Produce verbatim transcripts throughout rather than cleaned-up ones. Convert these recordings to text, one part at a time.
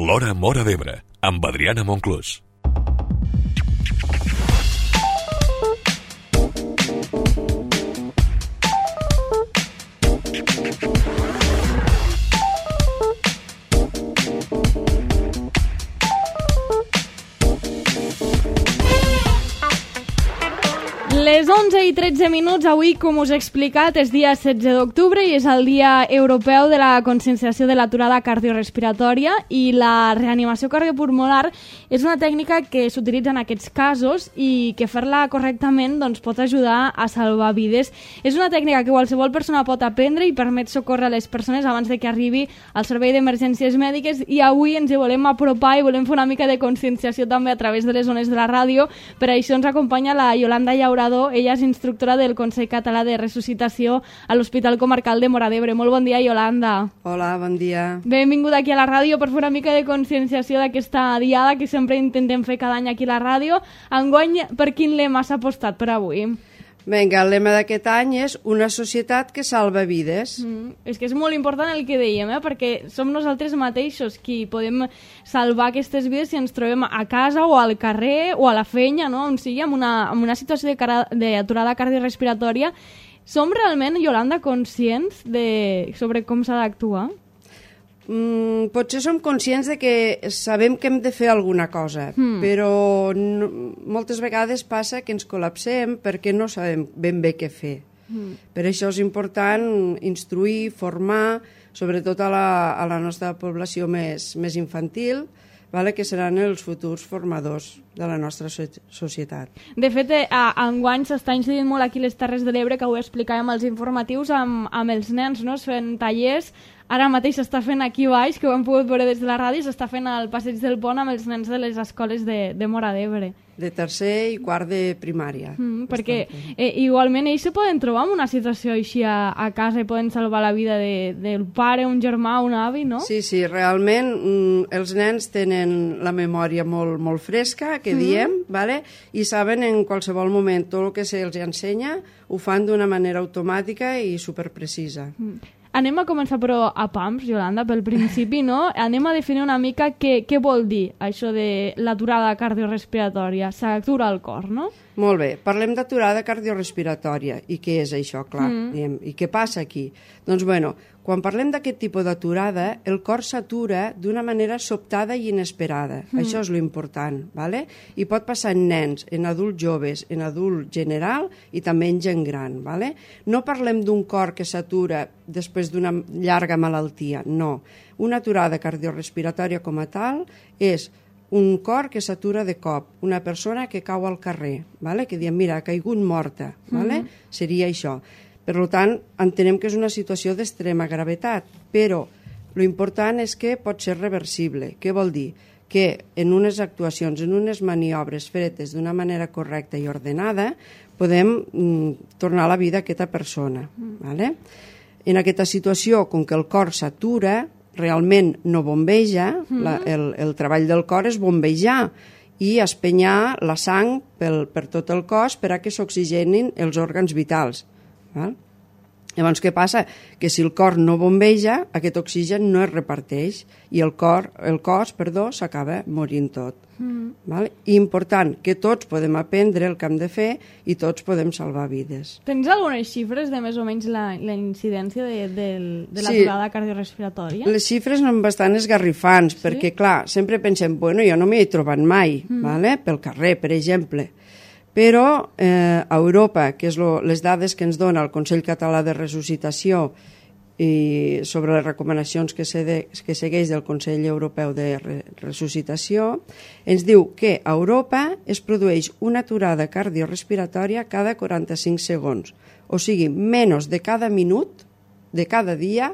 L'Hora Móra d'Ebre, amb Adriana Monclús. Les onze i tretze minuts, avui, com us he explicat, és dia setze d'octubre i és el Dia Europeu de la Conscienciació de l'Aturada Cardiorespiratòria, i la reanimació cardiopulmonar és una tècnica que s'utilitza en aquests casos i que fer-la correctament doncs, pot ajudar a salvar vides. És una tècnica que qualsevol persona pot aprendre i permet socórrer a les persones abans de que arribi al servei d'emergències mèdiques, i avui ens hi volem apropar i volem fer una mica de conscienciació també a través de les ones de la ràdio. Per això ens acompanya la Yolanda Llaurador. Ella és instructora del Consell Català de Resuscitació a l'Hospital Comarcal de Móra d'Ebre. Molt bon dia, Yolanda. Hola, bon dia. Benvinguda aquí a la ràdio per fer una mica de conscienciació d'aquesta diada que sempre intentem fer cada any aquí a la ràdio. Enguany, per quin lema s'ha apostat per avui? Vinga, el lema d'aquest any és una societat que salva vides. Mm, és que és molt important el que dèiem, eh? Perquè som nosaltres mateixos qui podem salvar aquestes vides si ens trobem a casa o al carrer o a la feina, no? On sigui, en una, en una situació d'aturada cardiorespiratòria. Som realment, Yolanda, conscients de sobre com s'ha d'actuar? Mm, potser som conscients de que sabem que hem de fer alguna cosa, mm. però no, moltes vegades passa que ens col·lapsem perquè no sabem ben bé què fer. Mm. Per això és important instruir, formar, sobretot a la, a la nostra població més, més infantil, vale? Que seran els futurs formadors de la nostra societat. De fet, eh, enguany s'està incidint molt aquí a les Terres de l'Ebre, que ho explicàvem als informatius, amb, amb els nens, no? Es fent tallers. Ara mateix s'està fent aquí baix, que ho hem pogut veure des de la ràdio, s'està fent al Passeig del Pont amb els nens de les escoles de, de Móra d'Ebre. De tercer i quart de primària. Mm, perquè eh, igualment ells se poden trobar en una situació així a, a casa i poden salvar la vida de, del pare, un germà, un avi, no? Sí, sí, realment mm, els nens tenen la memòria molt, molt fresca, que diem, mm. vale? I saben en qualsevol moment tot el que se'ls ensenya, ho fan d'una manera automàtica i superprecisa. Mm. Anem a començar, però, a pams, Yolanda, pel principi, no? Anem a definir una mica què, què vol dir això de l'aturada cardiorespiratòria. S'atura el cor, no? Molt bé, parlem d'aturada cardiorespiratòria. I què és això, clar? Mm. Diem, i què passa aquí? Doncs, bueno, quan parlem d'aquest tipus d'aturada, el cor s'atura d'una manera sobtada i inesperada. Mm. Això és l'important, ¿vale? I pot passar en nens, en adults joves, en adult general i també en gent gran, ¿vale? No parlem d'un cor que s'atura després d'una llarga malaltia, no. Una aturada cardiorespiratòria com a tal és un cor que s'atura de cop, una persona que cau al carrer, ¿vale? Que diem, mira, ha caigut morta, ¿vale? Mm. Seria això. Per tant, entenem que és una situació d'extrema gravetat, però l'important és que pot ser reversible. Què vol dir? Que en unes actuacions, en unes maniobres fetes d'una manera correcta i ordenada, podem mm, tornar a la vida a aquesta persona. Mm. ¿Vale? En aquesta situació, com que el cor s'atura, realment no bombeja, mm. la, el, el treball del cor és bombejar i espenyar la sang pel, per tot el cos per a que s'oxigenin els òrgans vitals. Val? Llavors, què passa? Que si el cor no bombeja, aquest oxigen no es reparteix i el, cor, el cos perdó, s'acaba morint tot. Mm. Val? I important, que tots podem aprendre el que hem de fer i tots podem salvar vides. Tens algunes xifres de més o menys la, la incidència de, de, de l'aturada sí. cardiorespiratòria? Les xifres són bastant esgarrifants, sí? Perquè, clar, sempre pensem, bueno, jo no m'hi he trobat mai, mm. vale? Pel carrer, per exemple. Però eh, a Europa, que és lo, les dades que ens dona el Consell Català de Resuscitació i sobre les recomanacions que, se de, que segueix del Consell Europeu de Re, Resuscitació, ens diu que a Europa es produeix una aturada cardiorespiratòria cada quaranta-cinc segons. O sigui, menys de cada minut, de cada dia,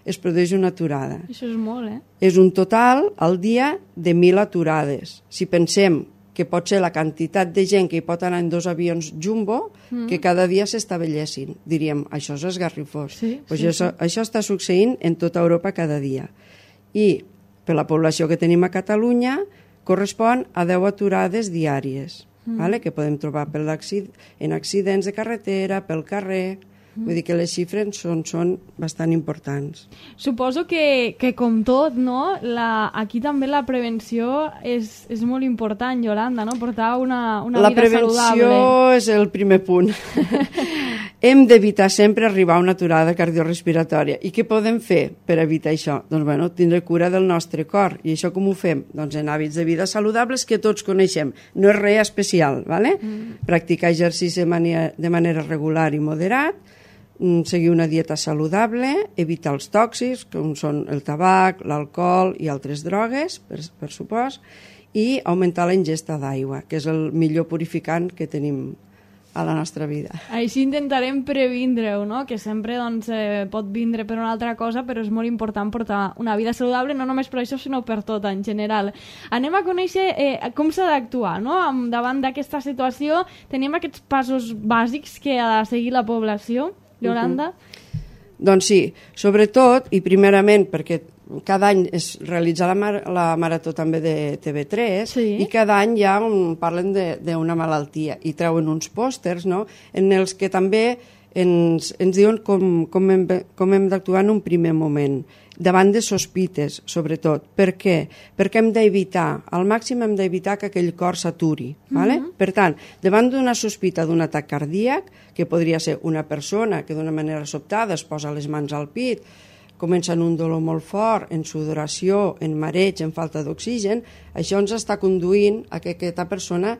es produeix una aturada. Això és molt, eh? És un total al dia de mil aturades. Si pensem que pot ser la quantitat de gent que hi pot anar en dos avions jumbo, mm. que cada dia s'estavellessin. Diríem, això és esgarrifós. Sí, pues sí, això, sí. això està succeint en tota Europa cada dia. I per la població que tenim a Catalunya correspon a deu aturades diàries, mm. vale? Que podem trobar per accident, en accidents de carretera, pel carrer, Vull dir que les xifres són, són bastant importants. Suposo que, que com tot, no? La, aquí també la prevenció és, és molt important, Yolanda, no? Portar una, una la vida saludable. La prevenció és el primer punt. Hem d'evitar sempre arribar a una aturada cardiorrespiratòria. I què podem fer per evitar això? Doncs, bueno, tindre cura del nostre cor. I això com ho fem? Doncs en hàbits de vida saludables que tots coneixem. No és res especial, ¿vale? Mm. Practicar exercici de manera, de manera regular i moderat, seguir una dieta saludable, evitar els tòxics, com són el tabac, l'alcohol i altres drogues, per, per supost, i augmentar la ingesta d'aigua, que és el millor purificant que tenim a la nostra vida. Així intentarem previndre-ho, no? Que sempre doncs, eh, pot vindre per una altra cosa, però és molt important portar una vida saludable, no només per això, sinó per tot en general. Anem a conèixer eh, com s'ha d'actuar, no? Davant d'aquesta situació tenim aquests passos bàsics que ha de seguir la població, Yolanda? Uh-huh. Doncs sí, sobretot, i primerament perquè cada any es realitza la, mar la marató també de T V tres, sí. I cada any ja parlen d'una malaltia i treuen uns pòsters, no?, en els que també ens, ens diuen com, com hem, com hem d'actuar en un primer moment, davant de sospites, sobretot. Per què? Perquè hem d'evitar, al màxim hem d'evitar que aquell cor s'aturi. ¿Vale? Uh-huh. Per tant, davant d'una sospita d'un atac cardíac, que podria ser una persona que d'una manera sobtada es posa les mans al pit, comença en un dolor molt fort, en sudoració, en mareig, en falta d'oxigen, això ens està conduint a que aquesta persona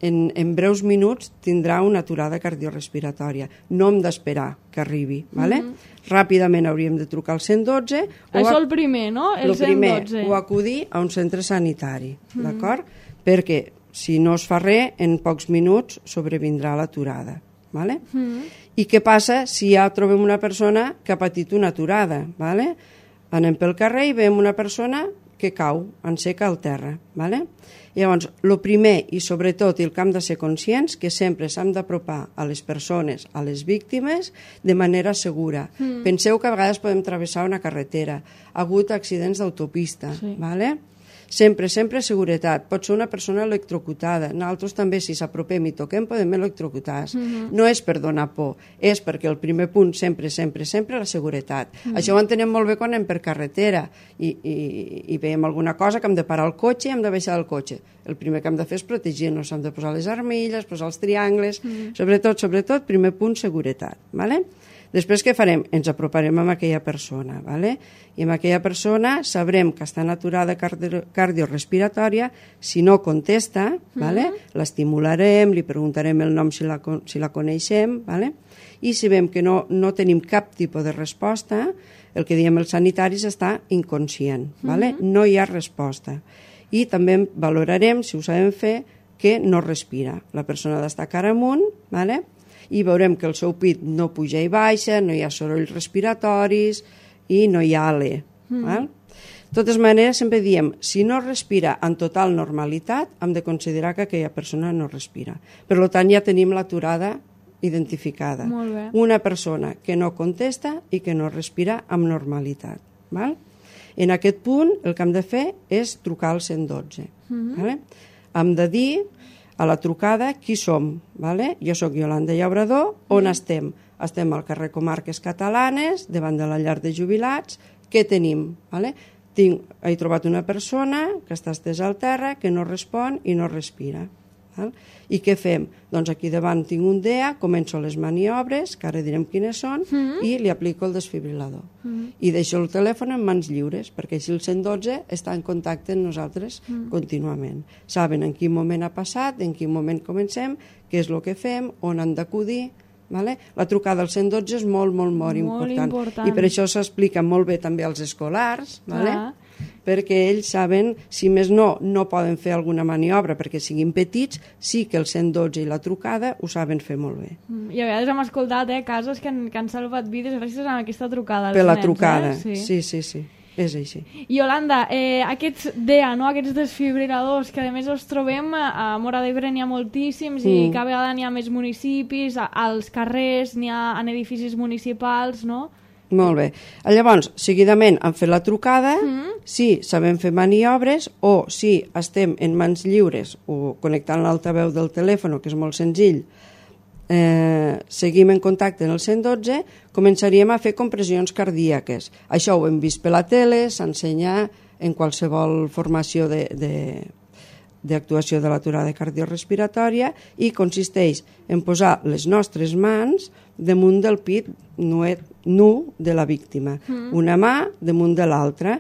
en, en breus minuts tindrà una aturada cardiorrespiratòria. No hem d'esperar que arribi. ¿Vale? Mm-hmm. Ràpidament hauríem de trucar al cent dotze. Això el primer, no? El, el primer, cent dotze. O acudir a un centre sanitari, mm-hmm. d'acord? Perquè si no es fa res, en pocs minuts sobrevindrà l'aturada. ¿Vale? Mm-hmm. I què passa si ja trobem una persona que ha patit una aturada? ¿Vale? Anem pel carrer i veiem una persona que cau, en seca al terra. ¿Vale? Llavors, el primer i sobretot, i el que hem de ser conscients, que sempre s'hem d'apropar a les persones, a les víctimes, de manera segura. Mm. Penseu que a vegades podem travessar una carretera, ha hagut accidents d'autopista, sí. ¿Vale? Sempre, sempre seguretat. Pot ser una persona electrocutada. Nosaltres també, si s'apropem i toquem, podem electrocutar. Mm-hmm. No és per donar por, és perquè el primer punt, sempre, sempre, sempre, la seguretat. Mm-hmm. Això ho entenem molt bé quan anem per carretera i, i, i veiem alguna cosa que hem de parar el cotxe i hem de baixar del cotxe. El primer que hem de fer és protegir-nos, hem de posar les armilles, posar els triangles, mm-hmm. sobretot, sobretot, primer punt, seguretat. ¿Vale? Després què farem? Ens aproparem amb aquella persona, ¿vale? I amb aquella persona sabrem que està en aturada cardio cardiorrespiratòria, si no contesta, ¿vale? Mm-hmm. L'estimularem, li preguntarem el nom si la, si la coneixem, ¿vale? I si veiem que no, no tenim cap tipus de resposta, el que diem els sanitaris està inconscient, ¿vale? Mm-hmm. No hi ha resposta. I també valorarem, si ho sabem fer, que no respira. La persona ha d'estar cara amunt, ¿vale? I veurem que el seu pit no puja i baixa, no hi ha sorolls respiratoris i no hi ha alè. Mm. Val? De totes maneres, sempre diem, si no respira en total normalitat, hem de considerar que aquella persona no respira. Per tant, ja tenim l'aturada identificada. Molt bé. Una persona que no contesta i que no respira amb normalitat. Val? En aquest punt, el que hem de fer és trucar al cent dotze. Mm-hmm. Vale? Hem de dir a la trucada qui som. Vale? Jo sóc Yolanda Llaurador. On mm. estem? Estem al carrer Comarques Catalanes, davant de la llar de jubilats. Què tenim? Vale? Tinc, he trobat una persona que està estesa al terra, que no respon i no respira. Val? I què fem? Doncs aquí davant tinc un D E A, començo les maniobres, que ara direm quines són, mm. i li aplico el desfibrilador. Mm. I deixo el telèfon en mans lliures, perquè així el cent dotze està en contacte amb nosaltres mm. contínuament. Saben en quin moment ha passat, en quin moment comencem, què és el que fem, on han d'acudir. Vale? La trucada al cent dotze és molt, molt, molt, molt important. important. I per això s'explica molt bé també als escolars, vale? Perquè ells saben, si més no, no poden fer alguna maniobra perquè siguin petits, sí que el cent dotze i la trucada ho saben fer molt bé. I a vegades hem escoltat eh, casos que han, que han salvat vides gràcies a aquesta trucada. Per la nens, trucada, eh? sí. sí, sí, sí. És així. Yolanda, eh, aquests D E A, no? Aquests desfibriladors, que a més els trobem a Móra d'Ebre n'hi ha moltíssims mm. i cada vegada n'hi ha més municipis, a, als carrers, n'hi ha en edificis municipals, no? Molt bé. Llavors, seguidament hem fet la trucada, mm. si sabem fer maniobres o si estem en mans lliures o connectant l'altaveu del telèfon, que és molt senzill, eh, seguim en contacte en el cent dotze, començaríem a fer compressions cardíaques. Això ho hem vist per la tele, s'ensenya en qualsevol formació de, de, d'actuació de l'aturada cardiorrespiratòria i consisteix en posar les nostres mans damunt del pit nuet, nu de la víctima. Mm. Una mà damunt de l'altra,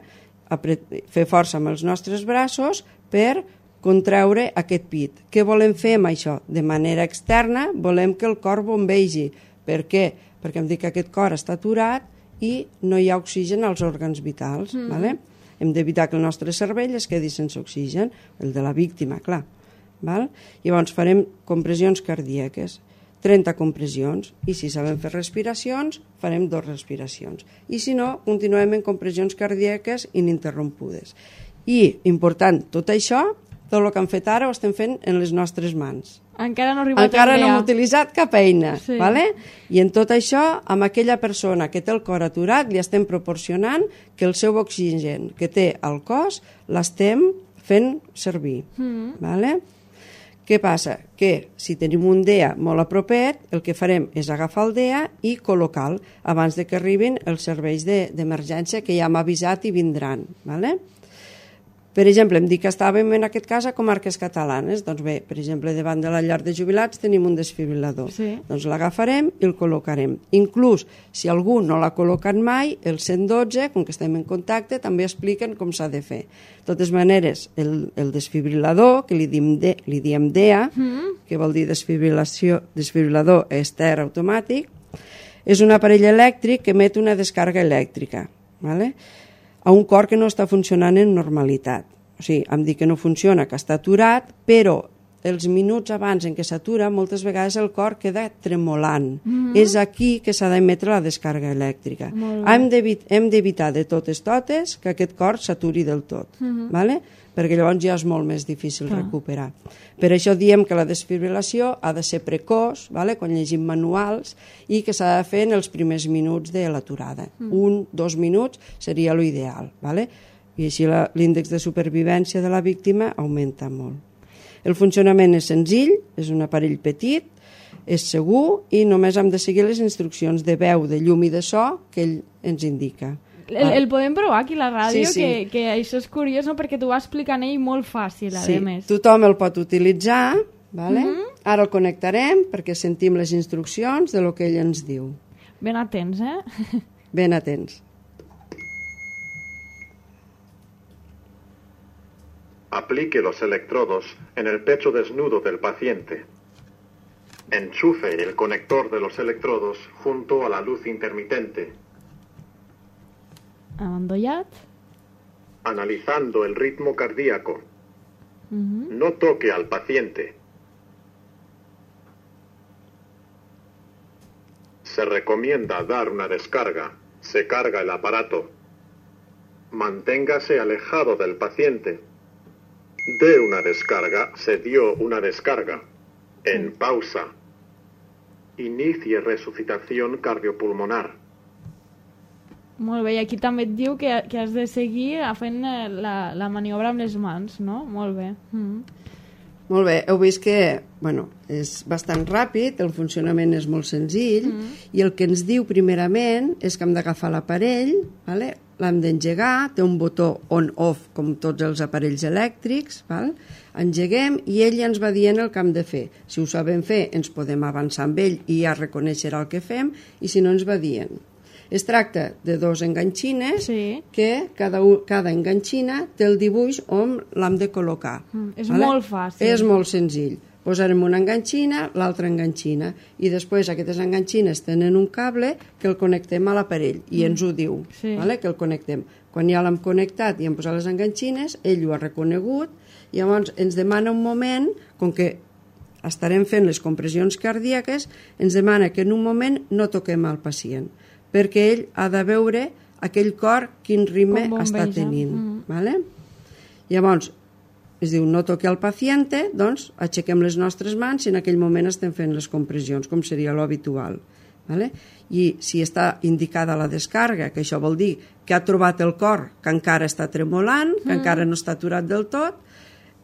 fer força amb els nostres braços per contraure aquest pit. Què volem fer amb això? De manera externa volem que el cor bombegi. Per què? Perquè hem dit que aquest cor està aturat i no hi ha oxigen als òrgans vitals. Mm. Vale? Hem d'evitar que el nostre cervell es quedi sense oxigen, el de la víctima, clar. Val? Llavors farem compressions cardíaques, trenta compressions, i si sabem fer respiracions, farem dues respiracions. I si no, continuem en compressions cardíaques ininterrompudes. I, important, tot això, tot el que hem fet ara ho estem fent en les nostres mans. Encara no ha arribat Encara a no hem utilitzat cap eina. Sí. Vale? I en tot això, amb aquella persona que té el cor aturat, li estem proporcionant que el seu oxigen que té al cos l'estem fent servir. Mm. Vale? Què passa? Que si tenim un D E A molt a propet, el que farem és agafar el D E A i col·locar-lo abans de que arribin els serveis d'emergència que ja hem avisat i vindran. Vale? Per exemple, em dic que estàvem en aquest cas a comarques catalanes. Doncs bé, per exemple, davant de la llar de jubilats tenim un desfibrilador. Sí. Doncs l'agafarem i el col·locarem. Inclús, si algú no l'ha col·locat mai, el cent dotze, com que estem en contacte, també expliquen com s'ha de fer. De totes maneres, el, el desfibrilador, que li diem, de, li diem D E A, mm. que vol dir desfibrilació, desfibrilador ester automàtic, és un aparell elèctric que emet una descàrrega elèctrica. Vale? A un cor que no està funcionant en normalitat. O sigui, em dic que no funciona, que està aturat, però els minuts abans en què s'atura, moltes vegades el cor queda tremolant. Mm-hmm. És aquí que s'ha d'emetre la descàrrega elèctrica. Hem d'evitar de totes totes que aquest cor s'aturi del tot, mm-hmm. vale? Perquè llavors ja és molt més difícil ah. recuperar. Per això diem que la desfibrilació ha de ser precoç, vale? Quan llegim manuals, i que s'ha de fer en els primers minuts de l'aturada. Mm. Un, dos minuts seria l'ideal. Vale? I així l'índex de supervivència de la víctima augmenta molt. El funcionament és senzill, és un aparell petit, és segur i només hem de seguir les instruccions de veu, de llum i de so que ell ens indica. El, el podem provar aquí a la ràdio, sí, sí. Que, que això és curiós, no? Perquè t'ho va explicant ell molt fàcil, a sí, més. Tothom el pot utilitzar, vale? Mm-hmm. Ara el connectarem perquè sentim les instruccions de lo que ell ens diu. Ben atents, eh? Ben atents. Aplique los electrodos en el pecho desnudo del paciente. Enchufe el conector de los electrodos junto a la luz intermitente. Endollat. Analizando el ritmo cardíaco. Uh-huh. No toque al paciente. Se recomienda dar una descarga. Se carga el aparato. Manténgase alejado del paciente. De una descarga, se dio una descarga. En pausa. Inicie resucitación cardiopulmonar. Molt bé, i aquí també et diu que, que has de seguir fent la, la maniobra amb les mans, no? Molt bé. Mm. Molt bé, heu vist que bueno, és bastant ràpid, el funcionament és molt senzill, mm. i el que ens diu primerament és que hem d'agafar l'aparell, vale? L'hem d'engegar, té un botó on-off com tots els aparells elèctrics, val? Engeguem i ell ja ens va dient el que hem de fer. Si ho sabem fer, ens podem avançar amb ell i ja reconeixerà el que fem, i si no ens va dient. Es tracta de dos enganxines sí. que cada, cada enganxina té el dibuix on l'hem de col·locar. Mm, és vale? Molt fàcil. És molt senzill. Posarem una enganxina, l'altra enganxina, i després aquestes enganxines tenen un cable que el connectem a l'aparell, i mm. ens ho diu, sí. vale? Que el connectem. Quan ja l'hem connectat i hem posat les enganxines, ell ho ha reconegut, i llavors ens demana un moment, com que estarem fent les compressions cardíaques, ens demana que en un moment no toquem al pacient, perquè ell ha de veure aquell cor quin ritme està tenint. Mm. Vale? Llavors, es diu no toqui al paciente, doncs aixequem les nostres mans i en aquell moment estem fent les compressions, com seria l'habitual. Vale? I si està indicada la descàrrega, que això vol dir que ha trobat el cor que encara està tremolant, que mm. encara no està aturat del tot,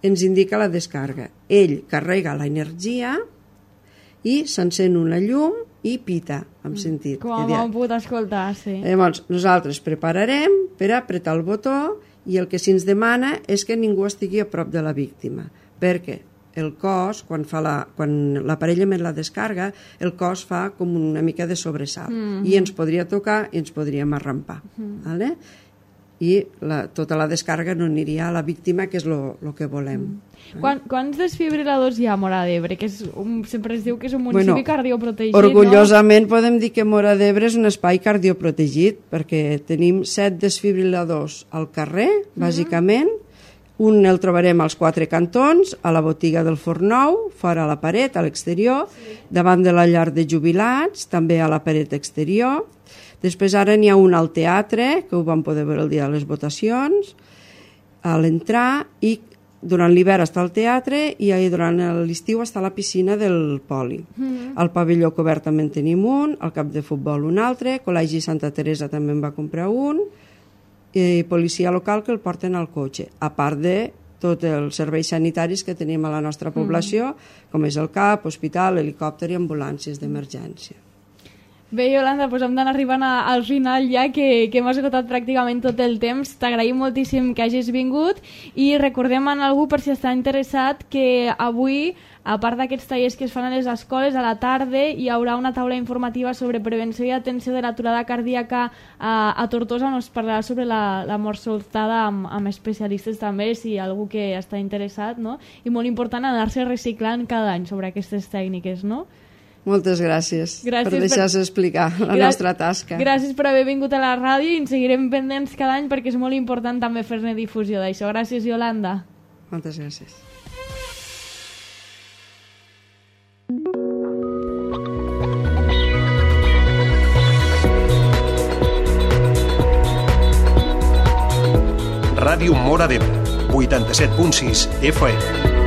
ens indica la descàrrega. Ell carrega l'energia i s'encén una llum i pita, hem sentit. Com ho hem pogut escoltar, sí. Llavors, nosaltres prepararem per apretar el botó i el que se'ns demana és que ningú estigui a prop de la víctima, perquè el cos, quan, fa la, quan l'aparell emet la descarga, el cos fa com una mica de sobresalt mm-hmm. i ens podria tocar i ens podríem arrampar. Mm-hmm. Vale? I la, tota la descarga no aniria a la víctima, que és el que volem. Mm. Quan, quants desfibriladors hi ha a Móra d'Ebre? Que és un, sempre es diu que és un municipi bueno, cardioprotegit, orgullosament no? Podem dir que Móra d'Ebre és un espai cardioprotegit, perquè tenim set desfibriladors al carrer, mm-hmm. bàsicament. Un el trobarem als quatre cantons, a la botiga del Fornou, fora a la paret, a l'exterior, sí. davant de la llar de jubilats, també a la paret exterior. Després ara n'hi ha un al teatre, que ho vam poder veure el dia de les votacions, a l'entrar, i durant l'hivern està al teatre i durant l'estiu està a la piscina del Poli. Mm-hmm. Al pavelló cobert també en tenim un, al camp de futbol un altre, Col·legi Santa Teresa també en va comprar un, i policia local que el porten al cotxe, a part de tots els serveis sanitaris que tenim a la nostra població, mm. com és el C A P, hospital, helicòpter i ambulàncies d'emergència. Bé, Iolanda, doncs hem d'anar arribant a, al final ja, que, que hem esgotat pràcticament tot el temps. T'agraïm moltíssim que hagis vingut i recordem a algú, per si està interessat, que avui, a part d'aquests tallers que es fan a les escoles, a la tarda hi haurà una taula informativa sobre prevenció i atenció de l'aturada cardíaca a, a Tortosa, on es parlarà sobre la, la mort sobtada amb, amb especialistes també, si hi ha algú que està interessat, no? I molt important anar-se reciclant cada any sobre aquestes tècniques, no? Moltes gràcies, gràcies per deixar-se per... explicar la Gràcies, nostra tasca. Gràcies per haver vingut a la ràdio i ens seguirem pendents cada any perquè és molt important també fer-ne difusió d'això. Gràcies, Iolanda. Moltes gràcies. Ràdio Móra d'Ebre, vuitanta-set punt sis F M.